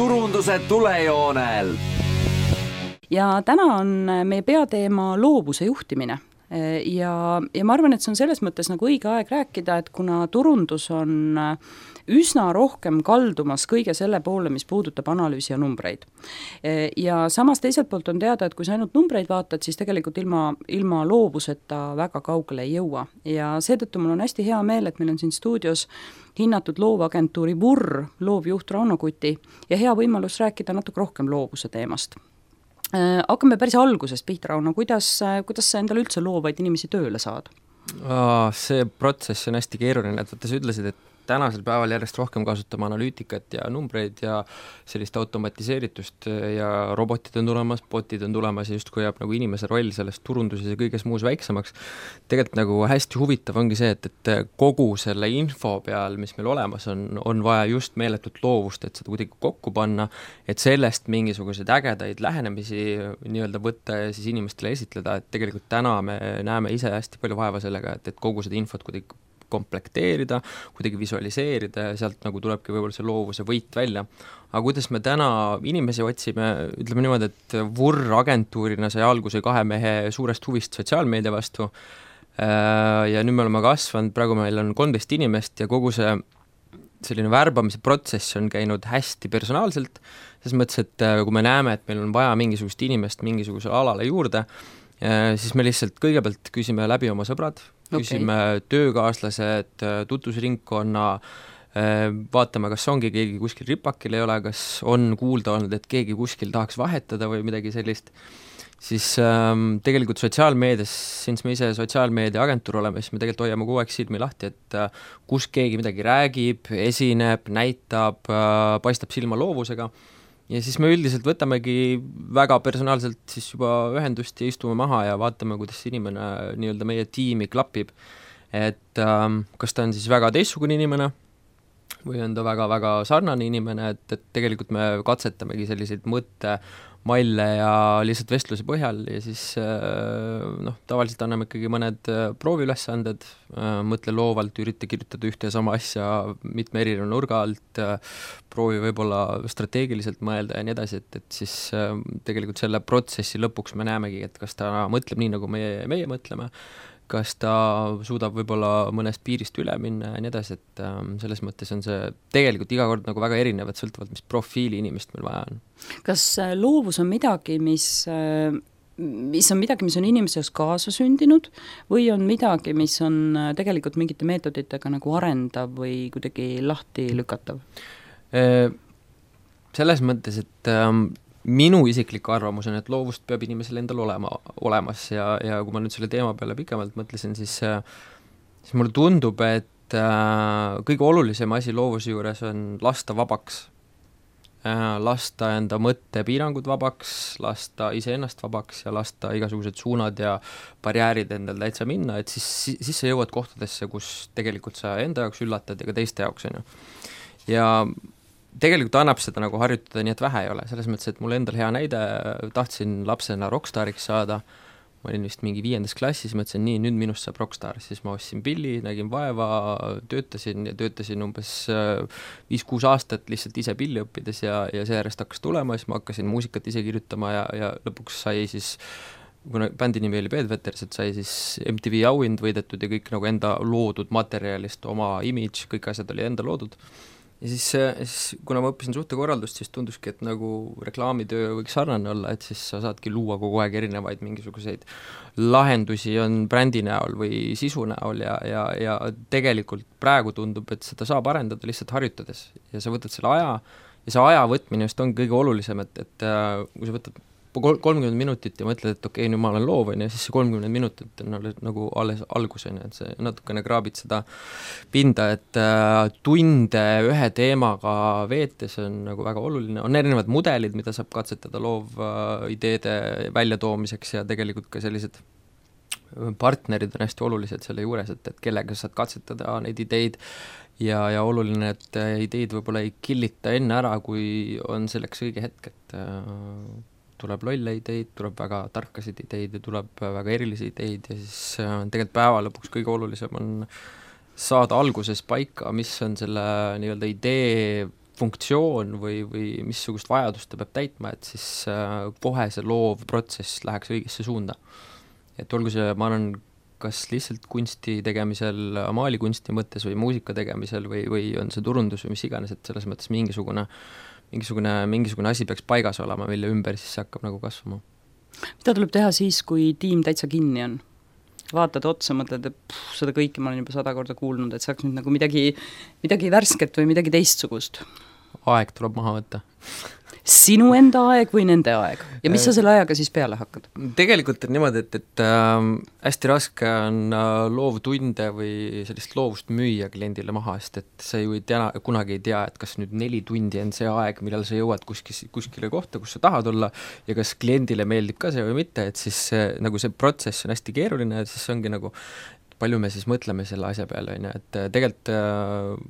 turunduse tulejoonel. Ja täna on meie peateema loovuse juhtimine. Ja ma arvan, et see on selles mõttes nagu õige aeg rääkida, et kuna turundus on üsna rohkem kaldumas kõige selle poole, mis puudutab analüüsi ja numbreid. Ja samas teiselt poolt on teada, et kui sa ainult numbreid vaatad, siis tegelikult ilma loovuseta väga kaugele ei jõua. Ja seetõttu mul on hästi hea meel, et meil on siin stuudios hinnatud loovagentuuri VUR loovjuht Rauno Kuti ja hea võimalus rääkida natuke rohkem loovuse teemast. Hakkame päris algusest pihta, Rauno, kuidas sa endale üldse loovaid inimesi tööle saad? See protsess on hästi keeruline, et sa ütlesid, et tänasel päeval järjest rohkem kasutame analüütikat ja numbreid ja sellist automatiseeritust ja robotid on tulemas, botid on tulemas ja justkui jääb nagu inimese roll selles turunduses ja kõiges muus väiksemaks. Tegelikult nagu hästi huvitav ongi see, et kogu selle info peal, mis meil olemas on vaja just meeletut loovust, et seda kuidagi kokku panna, et sellest mingisuguseid ägedaid lähenemisi nii-öelda võtta ja siis inimestele esitleda, et tegelikult täna me näeme ise hästi palju vaeva sellega, et kogu seda infot kuidagi komplekteerida, kuidagi visualiseerida ja sealt nagu tulebki võib-olla see loovuse võit välja. Aga kuidas me täna inimesi otsime, ütleme niimoodi, et VUR agentuurina sai alguse 2 mehe suurest huvist sotsiaalmeedia vastu ja nüüd me oleme kasvanud, praegu meil on 13 inimest ja kogu see selline värbamise protsess on käinud hästi personaalselt, selles mõttes, et kui me näeme, et meil on vaja mingisugust inimest mingisugusele alale juurde, siis me lihtsalt kõigepealt küsime läbi oma sõbrad, küsime töökaaslased, tutvusringkonna, vaatame, kas ongi keegi kuskil ripakil ei ole, kas on kuulda olnud, et keegi kuskil tahaks vahetada või midagi sellist. Siis tegelikult sotsiaalmeedias, since me ise sotsiaalmeedia agentuur oleme, siis me tegelikult hoiame kogu aeg silmi lahti, et kus keegi midagi räägib, esineb, näitab, paistab silma loovusega. Ja siis me üldiselt võtamegi väga personaalselt siis juba ühendust ja istume maha ja vaatame, kuidas inimene nii-öelda meie tiimi klapib. Et kas ta on siis väga teistsugune inimene või on ta väga-väga sarnane inimene, et tegelikult me katsetamegi selliseid mõttemalle ja lihtsalt vestluse põhjal ja siis tavaliselt anname ikkagi mõned prooviülesanded, mõtle loovalt, ürita kirjutada ühte ja sama asja mitme erineva nurga alt, proovi võib-olla strateegiliselt mõelda ja nii edasi, et siis tegelikult selle protsessi lõpuks me näemegi, et kas ta mõtleb nii, nagu meie mõtleme, kas ta suudab võib-olla mõnest piirist üle minna ja nii edasi, et selles mõttes on see tegelikult iga kord nagu väga erinev, et sõltuvalt, mis profiili inimest meil vaja on. Kas loovus on midagi, mis on inimeses kaasa sündinud või on midagi, mis on tegelikult mingite meetoditega nagu arendav või kuidagi lahti lükatav? Selles mõttes, et minu isiklik arvamus on, et loovust peab inimesel endal olemas ja kui ma nüüd selle teema peale pikemalt mõtlesin, siis mulle tundub, et kõige olulisem asi loovuse juures on lasta vabaks. Lasta enda mõttepiirangud vabaks, lasta iseennast vabaks ja lasta igasugused suunad ja barjäärid endal täitsa minna, et siis sa jõuad kohtadesse, kus tegelikult sa enda jaoks üllatad ja ka teiste jaoks on ju. Ja tegelikult annab seda nagu harjutada nii, et vähe ei ole, selles mõttes, et mul endal hea näide, tahtsin lapsena rockstariks saada, ma olin vist mingi 5. klassis, mõtlesin nii, nüüd minust saab rockstar, siis ma ostsin pilli, nägin vaeva, töötasin umbes 5-6 aastat lihtsalt ise pilli õppides ja seejärest hakkas tulema, siis ma hakkasin muusikat ise kirjutama ja lõpuks sai siis, kuna bändi nimi oli Bedwetters, et sai siis MTV auhind võidetud ja kõik nagu enda loodud materjalist, oma image, kõik asjad oli enda loodud. Ja siis kuna ma õppisin suhtekorraldust, siis tunduski, et nagu reklaamitöö võiks sarnane olla, et siis sa saadki luua kogu aeg erinevaid mingisuguseid lahendusi on brändi näol või sisu näol ja tegelikult praegu tundub, et seda saab arendada lihtsalt harjutades ja sa võtad selle aja ja see aja võtmine just on kõige olulisem, et kui sa võtad 30 minutit ja mõtled, et okei, nüüd ma olen loov, ja siis see 30 minutit on nagu alles algus, et see natukene kraabid seda pinda, et tunde ühe teemaga veetes on nagu väga oluline. On erinevad mudelid, mida saab katsetada loov ideede väljatoomiseks ja tegelikult ka sellised partnerid on hästi olulised selle juures, et kellega saad katsetada neid ideid ja oluline, et ideid võib-olla ei killita enne ära, kui on selleks õige hetk, et tuleb lolle ideid, tuleb väga tarkasid ideid ja tuleb väga erilisi ideid ja siis tegelikult päeva lõpuks kõige olulisem on saada alguses paika, mis on selle nii-öelda idee funktsioon või missugust vajadust ta peab täitma, et siis kohe see loov protsess läheks õigesse suunda. Et olgu see, ma arvan, kas lihtsalt kunsti tegemisel, maalikunsti mõttes või muusika tegemisel või on see turundus või mis iganes, et selles mõttes mingisugune asi peaks paigas olema, mille ümber siis see hakkab nagu kasvama. Mida tuleb teha siis, kui tiim täitsa kinni on? Vaatad otsa, mõtled, et seda kõike ma olen juba 100 korda kuulnud, et saaks nüüd nagu midagi värsket või midagi teistsugust. Aeg tuleb maha võtta. Sinu enda aeg või nende aeg? Ja mis sa selle ajaga siis peale hakkad? Tegelikult on niimoodi, et hästi raske on loovtunde või sellist loovust müüa kliendile maha, sest et sa ju kunagi ei tea, et kas nüüd 4 tundi on see aeg, millal sa jõuad kuskile kohta, kus sa tahad olla ja kas kliendile meeldib ka see või mitte, et siis nagu see protsess on hästi keeruline, et siis ongi nagu, palju me siis mõtleme selle asja peale, et tegelikult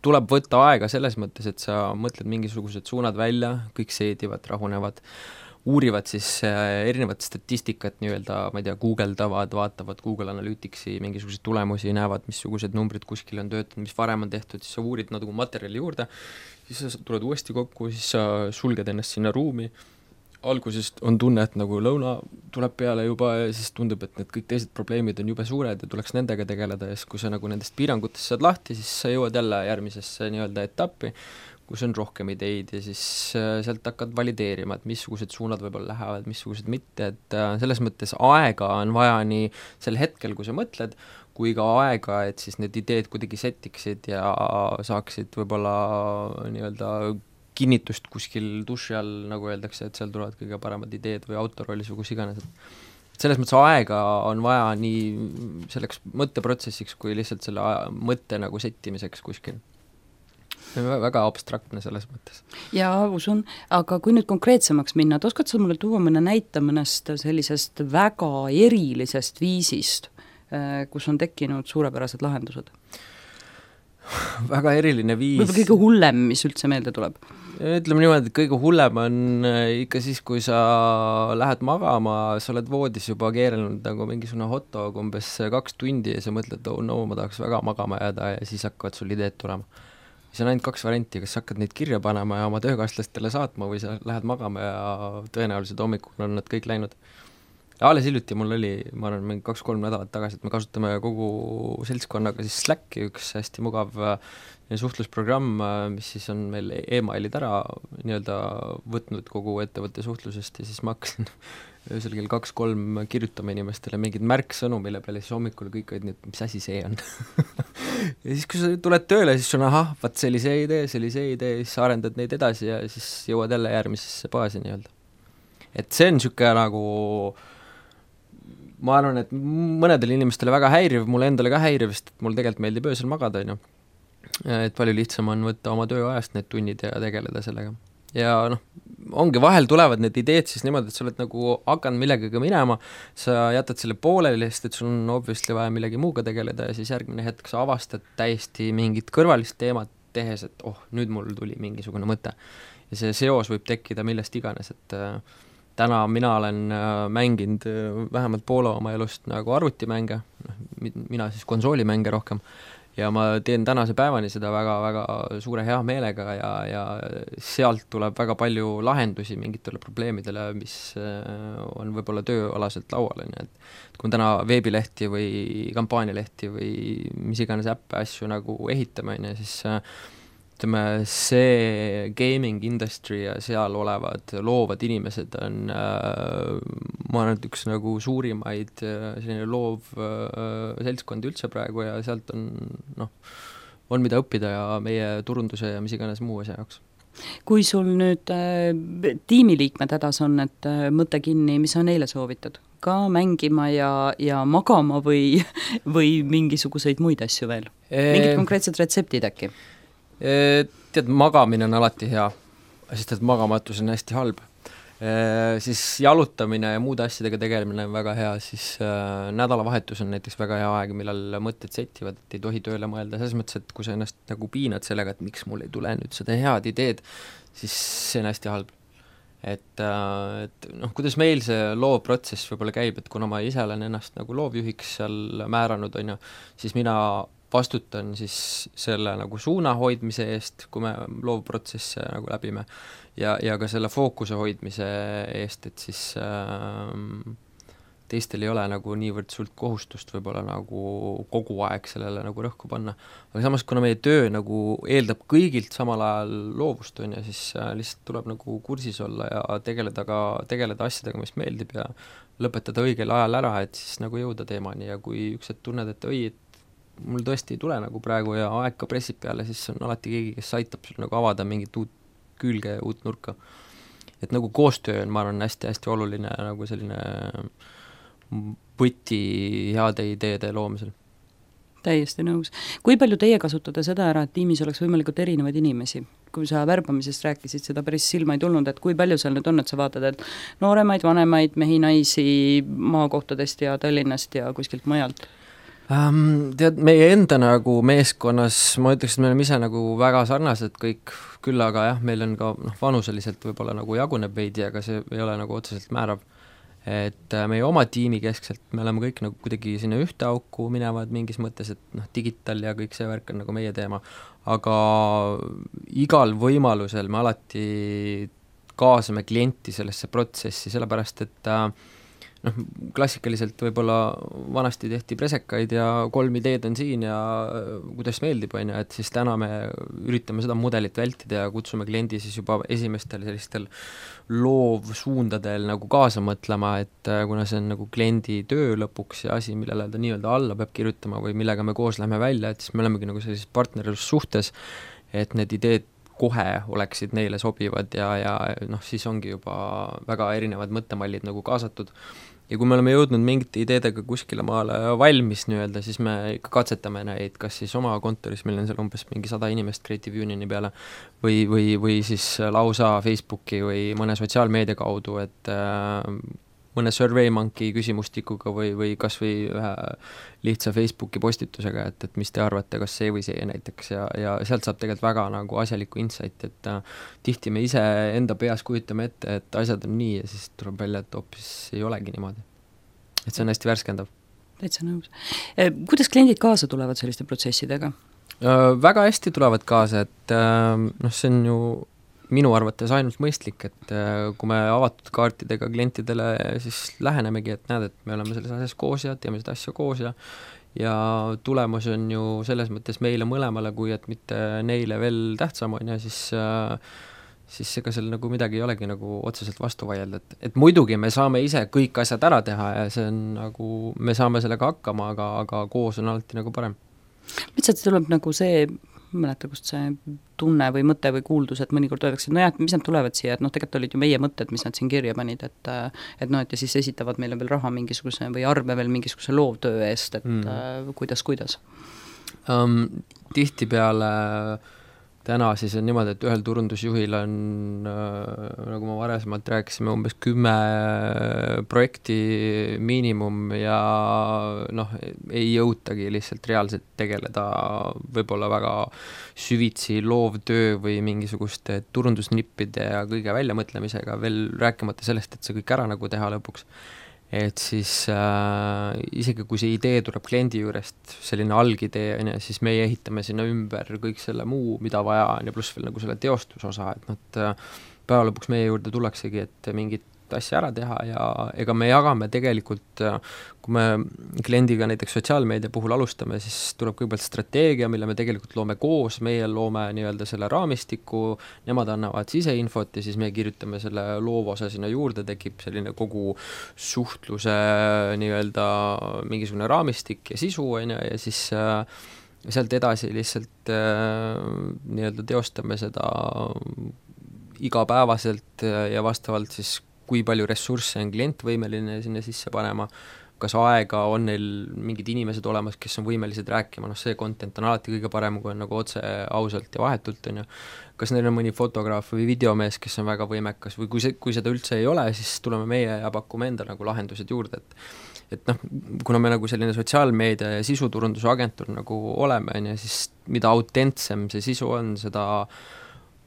tuleb võtta aega selles mõttes, et sa mõtled mingisugused suunad välja, kõik seedivad, rahunevad, uurivad siis erinevat statistikat nii-öelda, ma ei tea, guugeldavad, vaatavad Google Analyticsi mingisuguseid tulemusi, näevad, missugused numbrid kuskil on töötanud, mis varem on tehtud, siis sa uurid nagu materjali juurde, siis sa tuled uuesti kokku, siis sa sulged ennast sinna ruumi, algusest on tunne, et nagu lõuna tuleb peale juba ja siis tundub, et need kõik teised probleemid on jube suured ja tuleks nendega tegeleda ja siis, kui sa nagu nendest piirangutest saad lahti, siis sa jõuad jälle järgmisesse nii-öelda etappi, kus on rohkem ideid ja siis sealt hakkad valideerima, et missugused suunad võib-olla lähevad, missugused mitte, et selles mõttes aega on vaja nii sel hetkel, kui sa mõtled, kui ka aega, et siis need ideed kuidagi settiksid ja saaksid võib-olla nii-öelda kinnitust kuskil duši all, nagu öeldakse, et seal tulevad kõige paremad ideed või autorollis või kus iganes, et selles mõttes aega on vaja nii selleks mõtteprotsessiks kui lihtsalt selle mõtte nagu settimiseks kuskil. Väga abstraktne selles mõttes. Jaa, usun, aga kui nüüd konkreetsemaks minna, et oskad sa mulle tuua mõne näite mõnest sellisest väga erilisest viisist, kus on tekkinud suurepärased lahendused? Väga eriline viis. Võib-olla kõige hullem, mis üldse meelde tuleb? Ütleme niimoodi, et kõige hullem on ikka siis, kui sa lähed magama, sa oled voodis juba keerelnud nagu mingisugune hotdog umbes 2 tundi ja sa mõtled, no ma tahaks väga magama jääda ja siis hakkavad sul ideed tulema. Siis on ainult 2 varianti, kas hakkad neid kirja panema ja oma töökaaslastele saatma või sa lähed magama ja tõenäoliselt hommikul on nad kõik läinud. Alles hiljuti mul oli, ma arvan, 2-3 nädalat tagasi, et me kasutame kogu seltskonnaga siis Slacki, üks hästi mugav suhtlusprogramm, mis siis on meil emailid ära nii-öelda võtnud kogu ettevõtte suhtlusest ja siis ma hakkasin öösel kell 2-3 kirjutama inimestele mingid märksõnu, mille peale siis hommikul kõik olid nii, et mis asi see on. Ja siis, kui sa tuled tööle, siis sul on vaat see oli see idee, siis sa arendad neid edasi ja siis jõuad jälle järgmisesse baasi nii-öelda. Et see on niisugune nagu ma arvan, et mõnedele inimestele väga häiriv, mulle endale ka häiriv, sest mul tegelikult meeldib öösel magada, on ju. Et palju lihtsam on võtta oma tööajast need tunnid ja tegeleda sellega. Ja ongi vahel tulevad need ideed siis niimoodi, et sa oled nagu hakanud millegagi minema, sa jätad selle pooleli, sest et sul on obviously vaja millegi muuga tegeleda ja siis järgmine hetk sa avastad täiesti mingit kõrvalist teemat tehes, et nüüd mul tuli mingisugune mõte. Ja see seos võib tekkida millest iganes, et täna mina olen mänginud vähemalt poole oma elust nagu arvutimänge, mina siis konsoolimänge rohkem, ja ma teen tänase päevani seda väga-väga suure hea meelega ja sealt tuleb väga palju lahendusi mingitele probleemidele, mis on võib-olla tööalaselt laual, et kui me täna veebilehti või kampaanialehti või mis iganes äppe asju nagu ehitame, siis ütleme, see gaming industry ja seal olevad loovad inimesed on ma arvan, et üks nagu suurimaid selline loov seltskond üldse praegu ja sealt on mida õppida ja meie turunduse ja mis iganes muu asja jaoks. Kui sul nüüd tiimiliikmed hädas on, et mõte kinni, mis sa neile soovitad? Ka mängima ja magama või mingisuguseid muid asju veel? Mingid konkreetsed retseptid äkki? Tead, magamine on alati hea, sest et magamatus on hästi halb. Siis jalutamine ja muude asjadega tegelemine on väga hea, siis nädalavahetus on näiteks väga hea aeg, millal mõtted settivad, et ei tohi tööle mõelda, selles mõttes, et kui sa ennast nagu piinad sellega, et miks mul ei tule nüüd seda head ideed, siis see on hästi halb. Et kuidas meil see loovprotsess võib-olla käib, et kuna ma ise olen ennast nagu loovjuhiks seal määranud, on ju, siis mina vastutan siis selle nagu suuna hoidmise eest, kui me loovprotsesse nagu läbime, ja ka selle fookuse hoidmise eest, et siis teistel ei ole nagu niivõrd sult kohustust võib-olla nagu kogu aeg sellele nagu rõhku panna. Aga samas, kuna meie töö nagu eeldab kõigilt samal ajal loovust, on ja siis lihtsalt tuleb nagu kursis olla ja tegeleda asjadega, mis meeldib ja lõpetada õigel ajal ära, et siis nagu jõuda teemani ja kui üks hetk tunned, et et mul tõesti ei tule nagu praegu ja aeg ka pressib peale, siis on alati keegi, kes aitab sul nagu avada mingit uut külge ja uut nurka. Et nagu koostöö on, ma arvan, hästi-hästi oluline nagu selline võti heade ideede loomisel. Täiesti nõus. Kui palju teie kasutate seda ära, et tiimis oleks võimalikult erinevaid inimesi? Kui sa värbamisest rääkisid, seda päris silma ei tulnud, et kui palju seal nüüd on, et sa vaatad, et nooremaid, vanemaid, mehi, naisi maakohtadest ja Tallinnast ja kuskilt mujalt? Tead, meie enda nagu meeskonnas, ma ütleks, et me oleme ise nagu väga sarnased kõik, küll aga jah, meil on ka vanuseliselt võib-olla nagu jaguneb veidi, aga see ei ole nagu otseselt määrav. Et meie oma tiimi keskselt me oleme kõik nagu kuidagi sinna ühte auku minevad mingis mõttes, et digital ja kõik see värk on nagu meie teema, aga igal võimalusel me alati kaasame klienti sellesse protsessi, sellepärast et klassikaliselt võib-olla vanasti tehti presekaid ja 3 ideed on siin ja kuidas meeldib, on ju, et siis täna me üritame seda mudelit vältida ja kutsume kliendi siis juba esimestel sellistel loovsuundadel nagu kaasa mõtlema, et kuna see on nagu kliendi töö lõpuks ja asi, millele ta nii-öelda alla peab kirjutama või millega me koos lähme välja, et siis me olemegi nagu sellises partnerlussuhtes, et need ideed kohe oleksid neile sobivad ja siis ongi juba väga erinevad mõttemallid nagu kaasatud. Ja kui me oleme jõudnud mingite ideedega kuskile maale valmis nii-öelda, siis me ikka katsetame neid, kas siis oma kontoris, meil on seal umbes mingi 100 inimest Creative Unioni peale või siis lausa Facebooki või mõne sotsiaalmeedia kaudu, et mõne SurveyMonkey küsimustikuga või kas või ühe lihtsa Facebooki postitusega, et mis te arvate, kas see või see näiteks ja sealt saab tegelikult väga nagu asjalikku insight, et tihti me ise enda peas kujutame ette, et asjad on nii ja siis tuleb välja, et hoopis ei olegi niimoodi. Et see on hästi värskendav. Täitsa nõus. Kuidas kliendid kaasa tulevad selliste protsessidega? Väga hästi tulevad kaasa, et see on ju minu arvates ainult mõistlik, et kui me avatud kaartidega klientidele siis lähenemegi, et näed, et me oleme selles asjas koos ja teeme seda asja koos ja tulemus on ju selles mõttes meile mõlemale, kui et mitte neile veel tähtsam on ja siis ega seal nagu midagi ei olegi nagu otseselt vastu vaielda, et muidugi me saame ise kõik asjad ära teha ja see on nagu, me saame sellega hakkama, aga koos on alati nagu parem. Lihtsalt tuleb nagu see mäleta, kust see tunne või mõte või kuuldus, et mõnikord öeldakse, et et mis nad tulevad siia, et tegelikult olid ju meie mõtted, mis nad siin kirja panid, et ja siis esitavad meile veel raha mingisuguse või arve veel mingisuguse loovtöö eest, et kuidas? Tihtipeale täna siis on niimoodi, et ühel turundusjuhil on, nagu ma varasemalt rääkisime, umbes 10 projekti miinimum ja ei jõutagi lihtsalt reaalselt tegeleda võib-olla väga süvitsi loovtöö või mingisuguste turundusnippide ja kõige väljamõtlemisega, veel rääkimata sellest, et see kõik ära nagu teha lõpuks. Et siis isegi kui see idee tuleb kliendi juurest, selline algidee, siis meie ehitame sinna ümber kõik selle muu, mida vaja on ja pluss veel nagu selle teostusosa, et päeva lõpuks meie juurde tullaksegi, et mingit asja ära teha ja ega me jagame tegelikult, kui me kliendiga näiteks sotsiaalmeedia puhul alustame, siis tuleb kõigepealt strateegia, mille me tegelikult loome koos, meie loome nii-öelda selle raamistiku, nemad annavad siseinfot ja siis me kirjutame selle loovosa sinna juurde, tekib selline kogu suhtluse nii-öelda mingisugune raamistik ja sisu ja siis sealt edasi lihtsalt nii-öelda teostame seda igapäevaselt ja vastavalt siis kui palju ressursse on klient võimeline sinna sisse panema, kas aega on neil mingid inimesed olemas, kes on võimelised rääkima, see content on alati kõige parem, kui on nagu otse ausalt ja vahetult, on ju. Kas neil on mõni fotograaf või videomees, kes on väga võimekas või kui seda üldse ei ole, siis tuleme meie ja pakume enda nagu lahendused juurde, et kuna me nagu selline sotsiaalmeedia ja sisuturunduse agentuur nagu oleme, siis mida autentsem see sisu on, seda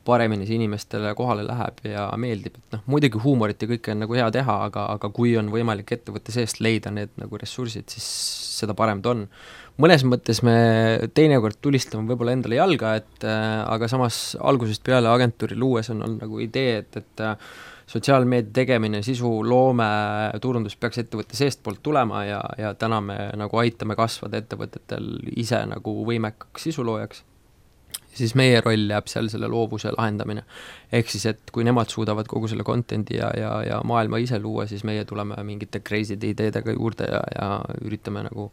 paremini see inimestele kohale läheb ja meeldib, et muidugi huumorit ja kõike on nagu hea teha, aga kui on võimalik ettevõtte seest leida need nagu ressursid, siis seda parem ta on. mõnes mõttes me teinekord tulistame võib-olla endale jalga, aga samas algusest peale agentuuri luues on olnud nagu idee, et sotsiaalmeedia tegemine, sisu, loome, turundus peaks ettevõtte seestpoolt tulema ja täna me nagu aitame kasvada ettevõtetel ise nagu võimekaks sisuloojaks. Siis meie roll jääb seal selle loovuse lahendamine. Ehk siis, et kui nemad suudavad kogu selle contenti ja maailma ise luua, siis meie tuleme mingite crazy ideedega juurde ja üritame nagu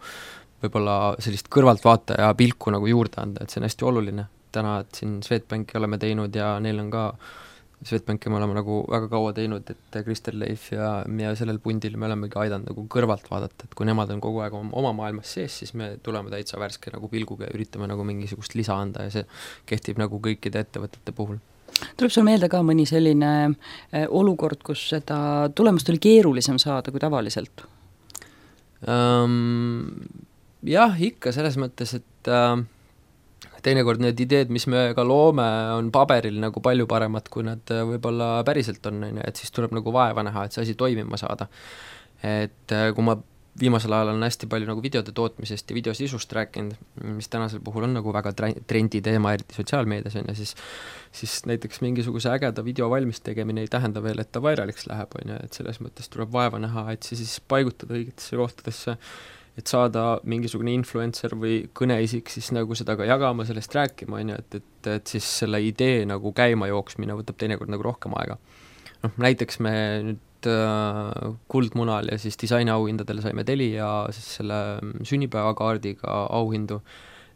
võib-olla sellist kõrvaltvaataja pilku nagu juurde anda, et see on hästi oluline. Täna, et siin Swedbanki oleme teinud ja neil on ka Swedbanki me oleme nagu väga kaua teinud, et Kristel Leif ja sellel pundil me olemegi aidanud nagu kõrvalt vaadata, et kui nemad on kogu aeg oma maailmas sees, siis me tuleme täitsa värske nagu pilguga ja üritame nagu mingisugust lisa anda ja see kehtib nagu kõikide ettevõtete puhul. Tuleb sul meelde ka mõni selline olukord, kus seda tulemust oli keerulisem saada kui tavaliselt? Jah, ikka selles mõttes, et teinekord need ideed, mis me ka loome, on paberil nagu palju paremad, kui nad võib-olla päriselt on, et siis tuleb nagu vaeva näha, et see asi toimima saada. Et kui ma viimasel ajal on hästi palju nagu videode tootmisest ja videosisust rääkinud, mis tänasel puhul on nagu väga trendi teema, eriti sotsiaalmeedias on ja siis näiteks mingisuguse ägeda video valmis tegemine ei tähenda veel, et ta vairaliks läheb, on ja, et selles mõttes tuleb vaeva näha, et siis paigutada õigetesse kohtadesse, et saada mingisugune influencer või kõneisik siis nagu seda ka jagama, sellest rääkima, on ju, et siis selle idee nagu käima jooksmine võtab teinekord nagu rohkem aega. Näiteks me nüüd Kuldmunal ja siis disainiauhindadele saime Telia siis selle sünnipäevakaardiga auhindu.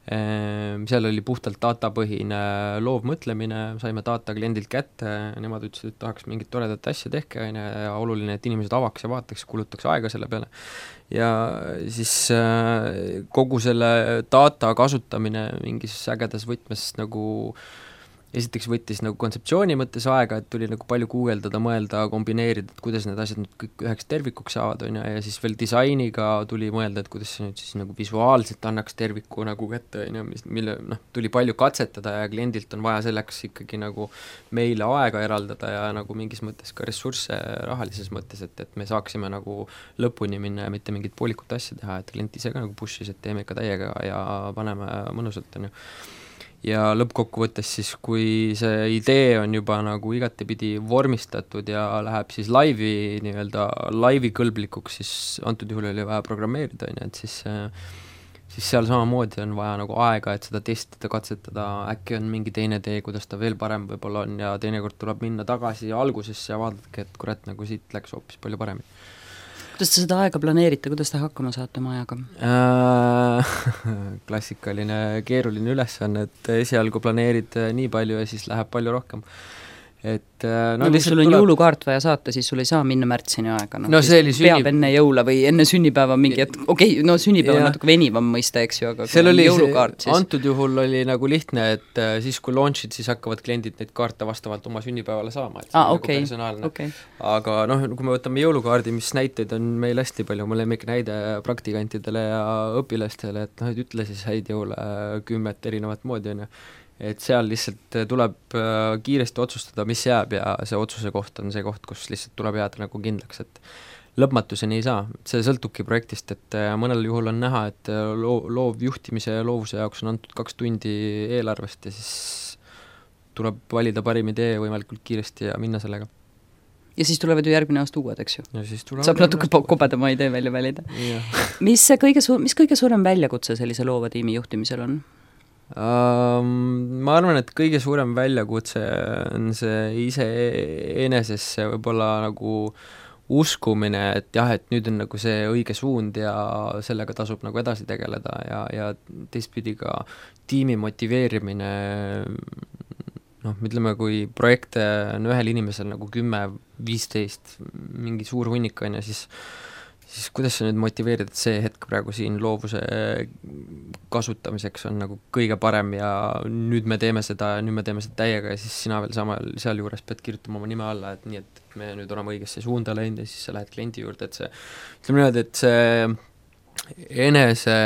Seal oli puhtalt datapõhine loovmõtlemine, saime data kliendilt kätte, nemad ütlesid, et tahaks mingit toredat asja tehke ja oluline, et inimesed avaks ja vaataks, kulutaks aega selle peale. Ja siis kogu selle data kasutamine mingis ägedas võtmes nagu esiteks võttis nagu kontseptsiooni mõttes aega, et tuli nagu palju guugeldada, mõelda, kombineerida, et kuidas need asjad nüüd kõik üheks tervikuks saavad, on ja siis veel disainiga tuli mõelda, et kuidas see nüüd siis nagu visuaalselt annaks terviku nagu kätte, on ja mille tuli palju katsetada ja kliendilt on vaja selleks ikkagi nagu meile aega eraldada ja nagu mingis mõttes ka ressursse rahalises mõttes, et me saaksime nagu lõpuni minna ja mitte mingit poolikut asja teha, et klient ise ka nagu push'is, et teeme ikka täiega ja paneme mõnusalt, on ju. Ja lõppkokkuvõttes siis, kui see idee on juba nagu igatepidi vormistatud ja läheb siis laivi kõlblikuks, siis antud juhul oli vaja programmeerida, et siis seal samamoodi on vaja nagu aega, et seda testida, katsetada, äkki on mingi teine tee, kuidas ta veel parem võib-olla on ja teinekord tuleb minna tagasi algusesse ja vaadake, et kurat, nagu siit läks hoopis palju paremini. Kuidas te seda aega planeerite, kuidas te hakkama saate oma ajaga? Klassikaline keeruline ülesanne, et esialgu planeerid nii palju ja siis läheb palju rohkem. Et, kui sul on jõulukaart vaja saata, siis sul ei saa minna märtsini aega. See oli peab enne jõula või enne sünnipäeva mingi, et sünnipäeva on natuke venivam mõista, eks ju, aga seal oli jõulukaart siis. Antud juhul oli nagu lihtne, et siis kui launch'id, siis hakkavad kliendid neid kaarte vastavalt oma sünnipäevale saama, et see on nagu personaalne. Aga kui me võtame jõulukaardi, mis näiteid on meil hästi palju, mul lemmik näide praktikantidele ja õpilastele, et ütle siis häid jõule 10 erinevat moodi, on ju. Et seal lihtsalt tuleb kiiresti otsustada, mis jääb ja see otsuse koht on see koht, kus lihtsalt tuleb jääda nagu kindlaks, et lõpmatuseni ei saa, see sõltubki projektist, et mõnel juhul on näha, et loovjuhtimise ja loovuse jaoks on antud 2 tundi eelarvest ja siis tuleb valida parim idee võimalikult kiiresti ja minna sellega. Ja siis tulevad ju järgmine aasta uued, eks ju? Saab natuke kobedama idee välja valida. Mis kõige suurem väljakutse sellise loova tiimi juhtimisel on? Ma arvan, et kõige suurem väljakutse on see iseenesesse võib-olla nagu uskumine, et jah, et nüüd on nagu see õige suund ja sellega tasub nagu edasi tegeleda ja teistpidi ka tiimi motiveerimine, ütleme, kui projekte on ühel inimesel nagu 10-15, mingi suur hunnik on ja siis kuidas sa nüüd motiveerid, et see hetk praegu siin loovuse kasutamiseks on nagu kõige parem ja nüüd me teeme seda täiega ja siis sina veel seal juures pead kirjutama oma nime alla, et nii, et me nüüd oleme õigesse suunda läinud ja siis sa lähed kliendi juurde, et see, ütleme niimoodi, et see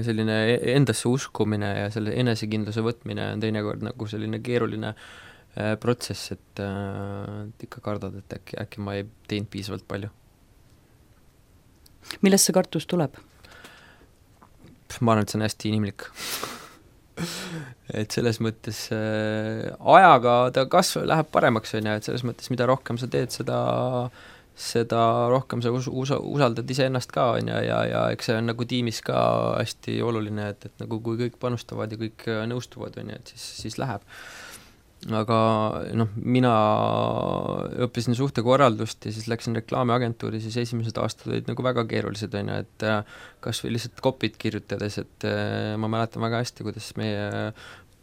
selline endasse uskumine ja selle enesekindluse võtmine on teinekord nagu selline keeruline protsess, et ikka kardad, et äkki ma ei teinud piisavalt palju. Millest see kartus tuleb? ma arvan, et see on hästi inimlik et selles mõttes ajaga ta läheb paremaks, on ju, et selles mõttes, mida rohkem sa teed, seda rohkem sa usaldad iseennast ka, on ju, ja eks see on nagu tiimis ka hästi oluline, et nagu kui kõik panustavad ja kõik nõustuvad, on ju, et siis läheb. Aga mina õppisin suhtekorraldust ja siis läksin reklaamiagentuuri, siis esimesed aastad olid nagu väga keerulised, on ju, et kas või lihtsalt kopid kirjutades, et ma mäletan väga hästi, kuidas meie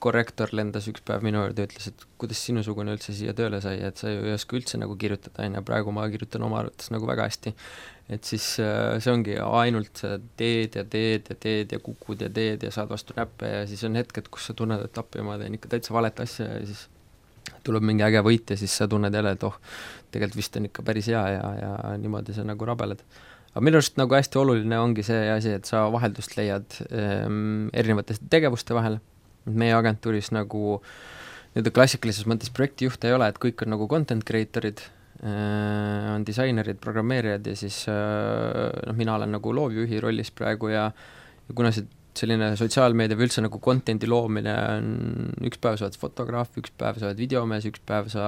korrektor lendas üks päev minu juurde ja ütles, et kuidas sinusugune üldse siia tööle sai, et sa ju ei oska üldse nagu kirjutada, on ju, praegu ma kirjutan oma arvates nagu väga hästi. Et siis see ongi ainult teed ja kukud ja teed ja saad vastu näppe ja siis on hetked, kus sa tunned, et appi ma teen ikka täitsa valet asja ja siis tuleb mingi äge võit ja siis sa tunned jälle, et tegelikult vist on ikka päris hea ja niimoodi sa nagu rabeled. Aga minu arust nagu hästi oluline ongi see asi, et sa vaheldust leiad erinevate tegevuste vahel. Meie agentuuris nagu klassikalises mõttes projektijuhte ei ole, et kõik on nagu content creatorid, on disainerid, programmeerijad ja siis mina olen nagu loovjuhi rollis praegu ja kuna selline sotsiaalmeedia või üldse nagu contenti loomine on, üks päev sa oled fotograaf, üks päev sa oled videomees, üks päev sa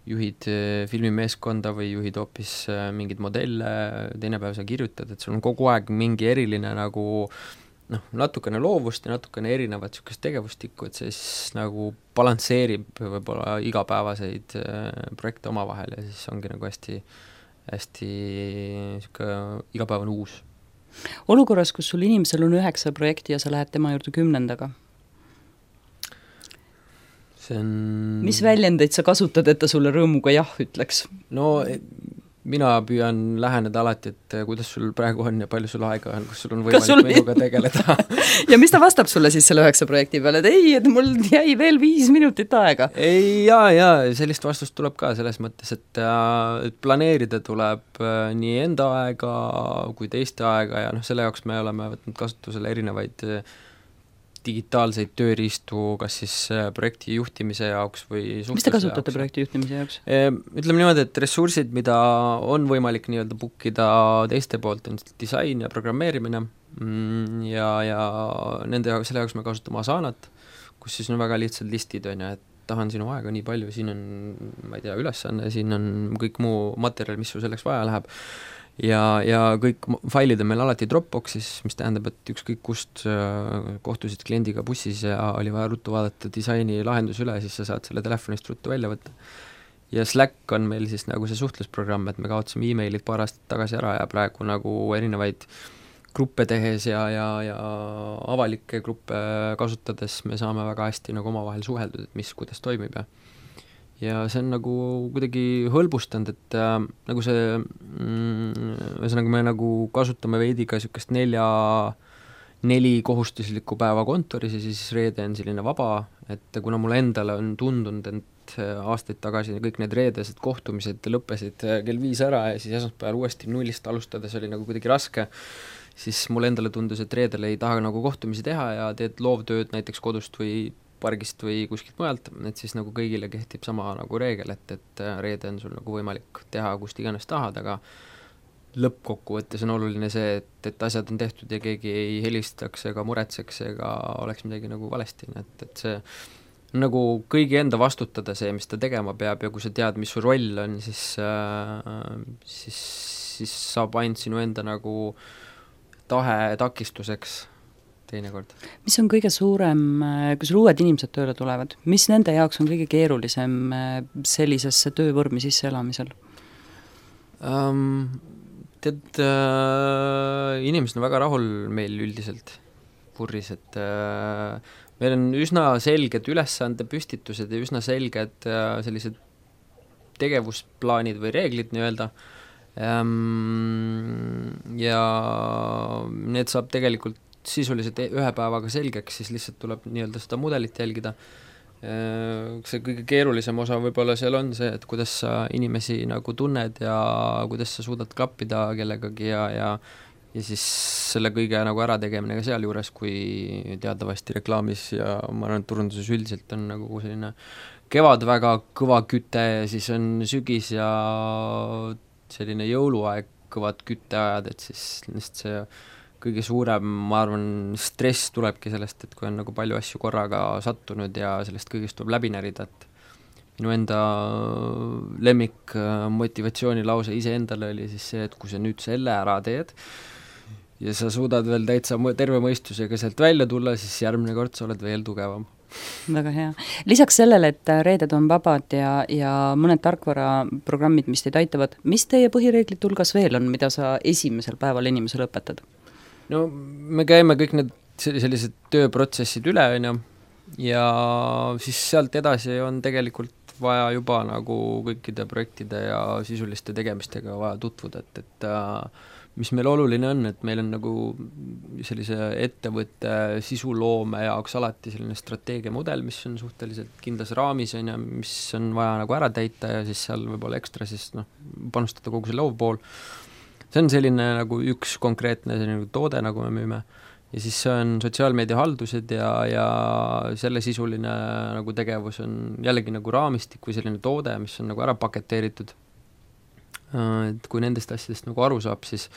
juhid filmimeeskonda või juhid hoopis mingid modelle, teine päev sa kirjutad, et sul on kogu aeg mingi eriline nagu natukene loovust ja natukene erinevat niisugust tegevustikku, et see siis nagu balansseerib võib-olla igapäevaseid projekte omavahel ja siis ongi nagu hästi niisugune igapäevane uus. Olukorras, kus sul inimesel on 9 projekti ja sa lähed tema juurde 10. See on... Mis väljendeid sa kasutad, et ta sulle rõõmuga jah ütleks? No mina püüan läheneda alati, et kuidas sul praegu on ja palju sul aega on, kus sul on võimalik minuga tegeleda. Ja mis ta vastab sulle siis selle 9 projekti peale, et ei, et mul jäi veel 5 minutit aega? Ei, ja sellist vastust tuleb ka selles mõttes, et planeerida tuleb nii enda aega kui teiste aega ja selle jaoks me oleme võtnud kasutusele erinevaid digitaalseid tööriistu, kas siis projekti juhtimise jaoks või suhtluse jaoks. Mis te kasutate projekti juhtimise jaoks? Ütleme niimoodi, et ressursid, mida on võimalik nii-öelda bookida teiste poolt, on disain ja programmeerimine ja selle jaoks me kasutame Asanat, kus siis on väga lihtsad listid, on ju, et tahan sinu aega nii palju, siin on, ma ei tea, ülesanne, siin on kõik muu materjal, mis sul selleks vaja läheb. Ja kõik failid on meil alati Dropboxis, mis tähendab, et ükskõik kust kohtusid kliendiga bussis ja oli vaja ruttu vaadata disaini lahendus üle, siis sa saad selle telefonist ruttu välja võtta. Ja Slack on meil siis nagu see suhtlusprogramm, et me kaotasime e-mailid paar aastat tagasi ära ja praegu nagu erinevaid gruppe tehes ja avalikke gruppe kasutades me saame väga hästi nagu omavahel suheldud, et mis, kuidas toimib ja see on nagu kuidagi hõlbustanud, et nagu see ühesõnaga me nagu kasutame veidi ka niisugust 4 kohustuslikku päeva kontoris ja siis reede on selline vaba, et kuna mulle endale on tundunud, et aastaid tagasi kõik need reedesed kohtumised lõppesid kell 5 ära ja siis esmaspäeval uuesti nullist alustades oli nagu kuidagi raske, siis mulle endale tundus, et reedel ei taha nagu kohtumisi teha ja teed loovtööd näiteks kodust või pargist või kuskilt mujalt, et siis nagu kõigile kehtib sama nagu reegel, et reede on sul nagu võimalik teha kust iganes tahad, aga lõppkokkuvõttes on oluline see, et asjad on tehtud ja keegi ei helistaks ega muretseks ega oleks midagi nagu valesti, et see nagu kõigi enda vastutada see, mis ta tegema peab ja kui sa tead, mis su roll on, siis saab ainult sinu enda nagu tahe takistuseks teinekord. Mis on kõige suurem, kui sul uued inimesed tööle tulevad, mis nende jaoks on kõige keerulisem sellisesse töövormi sisseelamisel? Tead, inimesed on väga rahul meil üldiselt Purris, et meil on üsna selged ülesande püstitused ja üsna selged sellised tegevusplaanid või reeglid nii-öelda ja need saab tegelikult sisuliselt 1 päevaga selgeks, siis lihtsalt tuleb nii-öelda seda mudelit jälgida. See kõige keerulisem osa võib-olla seal on see, et kuidas sa inimesi nagu tunned ja kuidas sa suudad klappida kellegagi ja siis selle kõige nagu ära tegemine ka seal juures, kui teatavasti reklaamis ja ma arvan, et turunduses üldiselt on nagu selline kevad väga kõva küte ja siis on sügis ja selline jõuluaeg kõvad kütteajad, et siis lihtsalt see kõige suurem, ma arvan, stress tulebki sellest, et kui on nagu palju asju korraga sattunud ja sellest kõigest tuleb läbi närida, et minu enda lemmik motivatsioonilause iseendale oli siis see, et kui sa nüüd selle ära teed ja sa suudad veel täitsa terve mõistusega sealt välja tulla, siis järgmine kord sa oled veel tugevam. Väga hea. Lisaks sellele, et reeded on vabad ja mõned tarkvaraprogrammid, mis teid aitavad, mis teie põhireeglite hulgas veel on, mida sa esimesel päeval inimesele õpetad? No me käime kõik need sellised tööprotsessid üle, ja siis sealt edasi on tegelikult vaja juba nagu kõikide projektide ja sisuliste tegemistega vaja tutvuda, et mis meil oluline on, et meil on nagu sellise ettevõtte sisuloome jaoks alati selline strateegiamudel, mis on suhteliselt kindlas raamis, mis on vaja nagu ära täita ja siis seal võib-olla ekstra siis panustada kogu see loovpool. See on selline nagu üks konkreetne selline toode, nagu me müüme, ja siis see on sotsiaalmeedia haldused ja selle sisuline nagu tegevus on jällegi nagu raamistik või selline toode, mis on nagu ära paketeeritud. Et kui nendest asjadest nagu aru saab, siis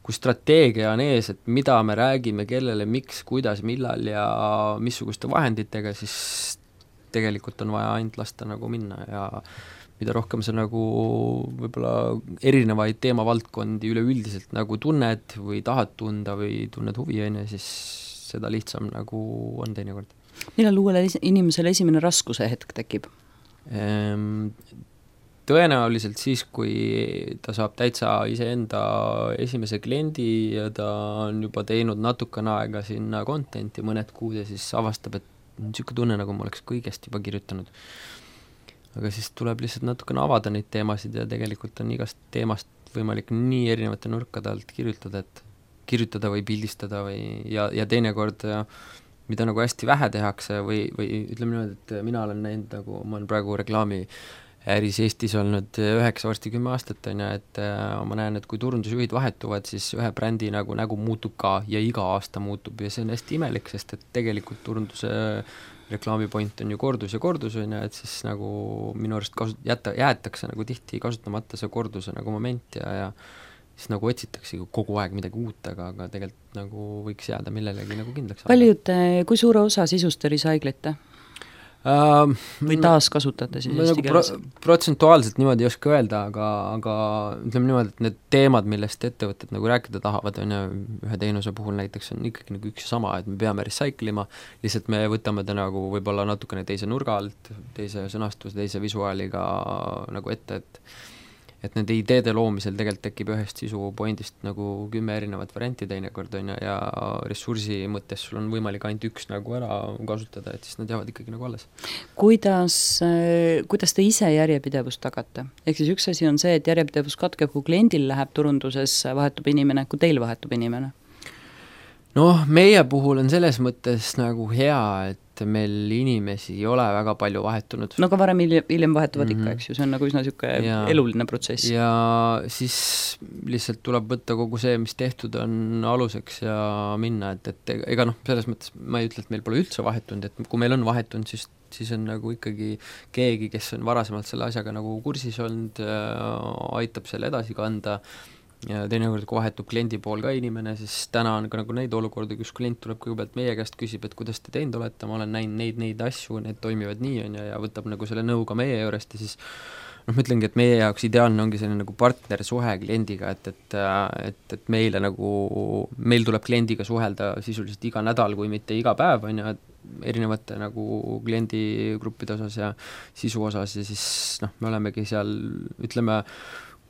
kui strateegia on ees, et mida me räägime, kellele, miks, kuidas, millal ja missuguste vahenditega, siis tegelikult on vaja ainult lasta nagu minna ja mida rohkem sa nagu võib-olla erinevaid teemavaldkondi üleüldiselt nagu tunned või tahad tunda või tunned huvi, siis seda lihtsam nagu on teinekord. Millal uuele inimesele esimene raskuse hetk tekib? Tõenäoliselt siis, kui ta saab täitsa iseenda esimese kliendi ja ta on juba teinud natukene aega sinna contenti mõned kuud ja siis avastab, et niisugune tunne, nagu ma oleks kõigest juba kirjutanud. Aga siis tuleb lihtsalt natukene avada neid teemasid ja tegelikult on igast teemast võimalik nii erinevate nurkade alt kirjutada või pildistada ja teinekord mida nagu hästi vähe tehakse või ütleme niimoodi, et mina olen näinud, nagu ma olen praegu reklaami äris Eestis olnud 9, varsti 10 aastat, et ma näen, et kui turundusjuhid vahetuvad, siis ühe brändi nägu muutub ka ja iga aasta muutub ja see on hästi imelik, sest et tegelikult turunduse reklaamipoint on ju kordus, et siis nagu minu arust jäetakse nagu tihti kasutamata see korduse nagu moment ja siis nagu otsitakse kogu aeg midagi uut, aga tegelikult nagu võiks jääda millelegi nagu kindlaks. Kui suure osa sisust recyclite? Või taaskasutate siis eesti keeles? Protsentuaalselt niimoodi ei oska öelda, aga ütleme niimoodi, et need teemad, millest ettevõtted nagu rääkida tahavad, on ühe teenuse puhul näiteks on ikkagi nagu üks ja sama, et me peame recyclima, lihtsalt me võtame ta nagu võib-olla natukene teise nurga alt, teise sõnastuse, teise visuaaliga nagu ette, et nende ideede loomisel tegelikult tekib ühest sisupointist nagu 10 erinevat varianti teinekord ja ressursi mõttes sul on võimalik ainult üks nagu ära kasutada, et siis nad jäävad ikkagi nagu alles. Kuidas te ise järjepidevust tagate? Ehk siis üks asi on see, et järjepidevus katkeb, kui kliendil läheb turunduses, vahetub inimene, kui teil vahetub inimene? Meie puhul on selles mõttes nagu hea, et meil inimesi ei ole väga palju vahetunud. Aga varem hiljem vahetuvad ikka, eks ju, see on nagu üsna niisugune eluline protsess. Ja siis lihtsalt tuleb võtta kogu see, mis tehtud on aluseks ja minna, et ega selles mõttes ma ei ütle, et meil pole üldse vahetunud, et kui meil on vahetunud, siis on nagu ikkagi keegi, kes on varasemalt selle asjaga nagu kursis olnud, aitab selle edasi kanda ja teinekord, kui vahetub kliendi pool ka inimene, siis täna on ka nagu neid olukordi, kus klient tuleb kõigepealt meie käest, küsib, et kuidas te teinud olete, ma olen näinud neid asju, need toimivad nii ja võtab nagu selle nõu ka meie juurest ja siis ma ütlengi, et meie jaoks ideaalne ongi selline nagu partnersuhe kliendiga, et meile nagu, meil tuleb kliendiga suhelda sisuliselt iga nädal, kui mitte iga päev, erinevate nagu kliendigruppide osas ja sisu osas ja siis me olemegi seal, ütleme,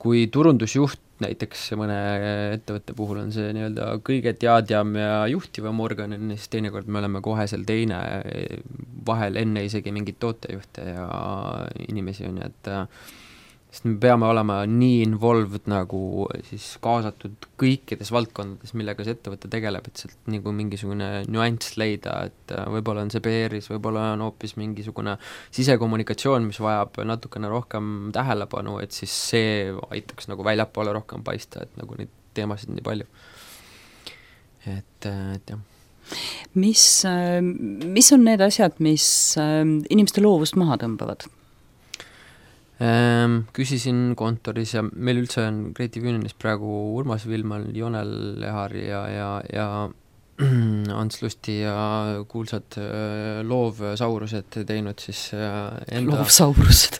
kui turundusjuht näiteks mõne ettevõtte puhul on see nii-öelda kõige teadjam ja juhtivam organ, siis teinekord me oleme kohe seal teine vahel enne isegi mingit tootejuhte ja inimesi on, et sest me peame olema nii involved nagu siis kaasatud kõikides valdkondades, millega see ettevõte tegeleb, et sealt nagu mingisugune nüanss leida, et võib-olla on see PR-is, võib-olla on hoopis mingisugune sisekommunikatsioon, mis vajab natukene rohkem tähelepanu, et siis see aitaks nagu väljapoole rohkem paista, et nagu neid teemasid nii palju. Et jah. Mis on need asjad, mis inimeste loovust maha tõmbavad? Küsisin kontoris ja meil üldse on Creative Unionis praegu Urmas Vilman, Jonel Lehar ja Ants Lusti ja kuulsad loovsaurused teinud siis enda... Loovsaurused?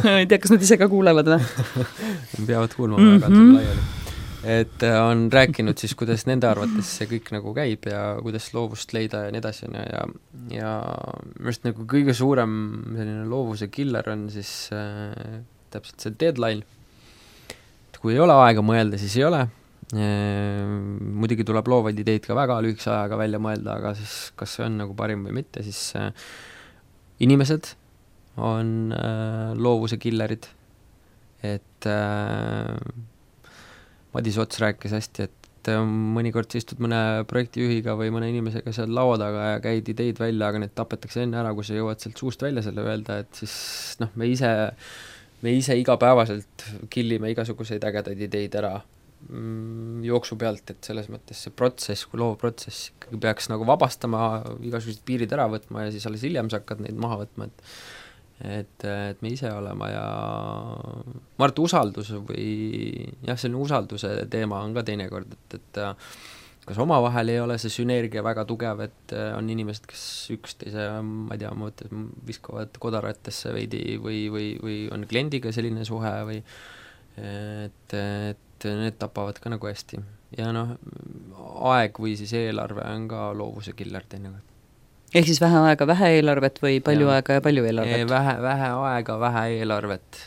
Ma ei tea, kas nad ise ka kuulevad või? Peavad kuulma väga laiali. Et on rääkinud siis, kuidas nende arvates see kõik nagu käib ja kuidas loovust leida ja nii edasi ja minu nagu kõige suurem selline loovuse killer on siis täpselt see deadline. Et kui ei ole aega mõelda, siis ei ole. Muidugi tuleb loovaid ideid ka väga lühikese ajaga välja mõelda, aga siis kas see on nagu parim või mitte, siis inimesed on loovuse killerid. Et Madis Ots rääkis hästi, et mõnikord sa istud mõne projektijuhiga või mõne inimesega seal laua taga ja käid ideid välja, aga need tapetakse enne ära, kui sa jõuad sealt suust välja selle öelda, et siis me ise igapäevaselt killime igasuguseid ägedaid ideid ära jooksu pealt, et selles mõttes see protsess, kui loovprotsess ikkagi peaks nagu vabastama, igasugused piirid ära võtma ja siis alles hiljem sa hakkad neid maha võtma, et me ise olema ja ma arvan, et usaldus või jah, selline usalduse teema on ka teinekord, et kas omavahel ei ole see sünergia väga tugev, et on inimesed, kes üksteise, ma ei tea, ma mõtlen, viskavad kodaratesse veidi või on kliendiga selline suhe või et need tapavad ka nagu hästi. Ja aeg või siis eelarve on ka loovuse killer teinekord. Ehk siis vähe aega, vähe eelarvet või palju aega ja palju eelarvet? Vähe aega, vähe eelarvet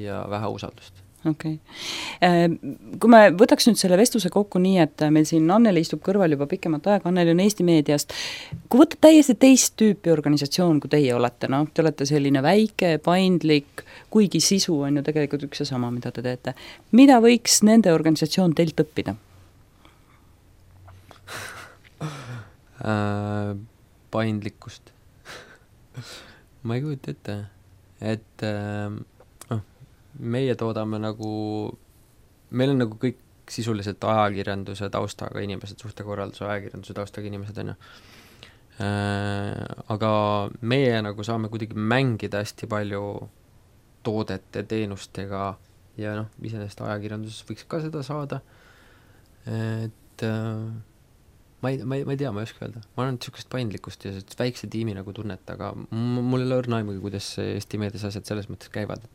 ja vähe usaldust. Okay. Kui me võtaks nüüd selle vestluse kokku nii, et meil siin Anneli istub kõrval juba pikemat aega, Anneli on Eesti Meediast, kui võtta täiesti teist tüüpi organisatsioon, kui teie olete, te olete selline väike, paindlik, kuigi sisu on ju tegelikult üks ja sama, mida te teete. Mida võiks nende organisatsioon teilt õppida? Paindlikkust. Ma ei kujuta ette, et meie toodame nagu, meil on nagu kõik sisuliselt ajakirjanduse taustaga inimesed, suhtekorralduse ajakirjanduse taustaga inimesed on ju. Aga meie nagu saame kuidagi mängida hästi palju toodete, teenustega ja iseenesest ajakirjanduses võiks ka seda saada. Et ma ei tea, ma ei oska öelda. Ma olen niisugust paindlikkust ja väikse tiimi nagu tunnet, aga mul ei ole õrna aimugi, kuidas Eesti Meedias asjad selles mõttes käivad,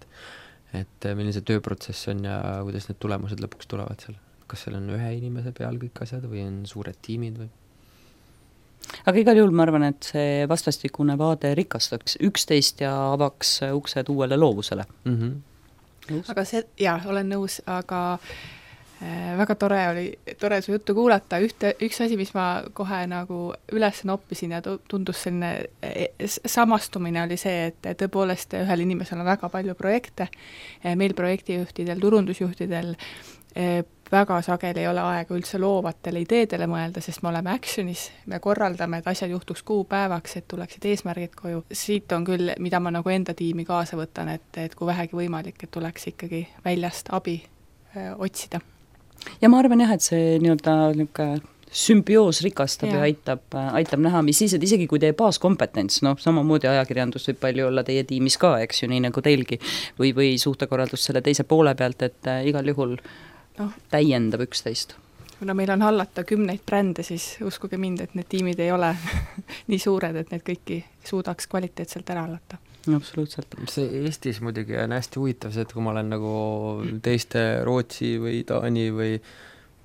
et milline see tööprotsess on ja kuidas need tulemused lõpuks tulevad seal. Kas seal on ühe inimese peal kõik asjad või on suured tiimid või? Aga igal juhul ma arvan, et see vastastikune vaade rikastaks üksteist ja avaks uksed uuele loovusele. Aga olen nõus, aga väga tore su juttu kuulata. Üks asi, mis ma kohe nagu üles noppisin ja tundus selline samastumine oli see, et tõepoolest ühel inimesel on väga palju projekte. Meil projektijuhtidel, turundusjuhtidel väga sageli ei ole aega üldse loovatele ideedele mõelda, sest me oleme actionis, me korraldame, et asjad juhtuks kuupäevaks, et tuleksid eesmärgid koju. Siit on küll, mida ma nagu enda tiimi kaasa võtan, et kui vähegi võimalik, et tuleks ikkagi väljast abi otsida. Ja ma arvan jah, et see nii-öelda sümbioos rikastab ja aitab näha, mis siis, et isegi kui teie baaskompetents, samamoodi ajakirjandus võib palju olla teie tiimis ka, eks ju, nii nagu teilgi, või suhtekorraldus selle teise poole pealt, et igal juhul täiendab üksteist. Kuna meil on hallata 10 brände, siis uskuge mind, et need tiimid ei ole nii suured, et need kõiki suudaks kvaliteetselt ära hallata. Absoluutselt. See Eestis muidugi on hästi huvitav see, et kui ma olen nagu teiste Rootsi või Taani või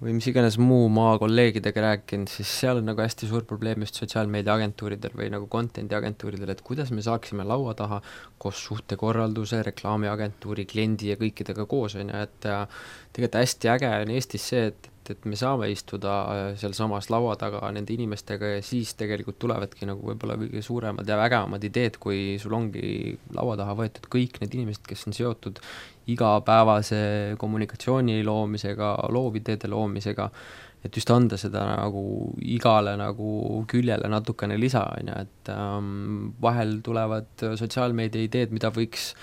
mis iganes muu maa kolleegidega rääkinud, siis seal on nagu hästi suur probleem just sotsiaalmeedia agentuuridel või nagu contenti agentuuridel, et kuidas me saaksime laua taha koos suhtekorralduse, reklaamiagentuuri, kliendi ja kõikidega koos, et tegelikult hästi äge on Eestis see, et me saame istuda seal samas laua taga nende inimestega ja siis tegelikult tulevadki nagu võib-olla kõige suuremad ja vägevamad ideed, kui sul ongi laua taha võetud kõik need inimesed, kes on seotud igapäevase kommunikatsiooni loomisega, loovideede loomisega, et just anda seda nagu igale nagu küljele natukene lisa, et vahel tulevad sotsiaalmeedia ideed, mida võiks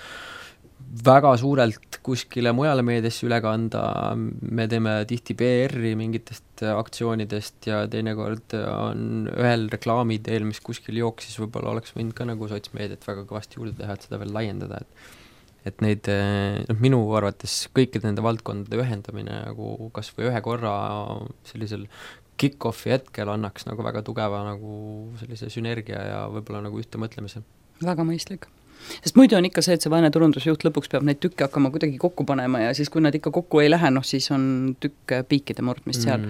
väga suurelt kuskile mujale meediasse üle kanda, me teeme tihti PR-i mingitest aktsioonidest ja teinekord on ühel reklaamideel, mis kuskil jooksis, võib-olla oleks võinud ka nagu sotsmeediat väga kõvasti juurde teha, et seda veel laiendada, et neid, minu arvates kõikide nende valdkondade ühendamine nagu kas või ühe korra sellisel kick-offi hetkel annaks nagu väga tugeva nagu sellise sünergia ja võib-olla nagu ühte mõtlemise. Väga mõistlik. Sest muidu on ikka see, et see vaene turundusjuht lõpuks peab neid tükke hakkama kuidagi kokku panema ja siis, kui nad ikka kokku ei lähe, siis on tükk piikide murdmist seal.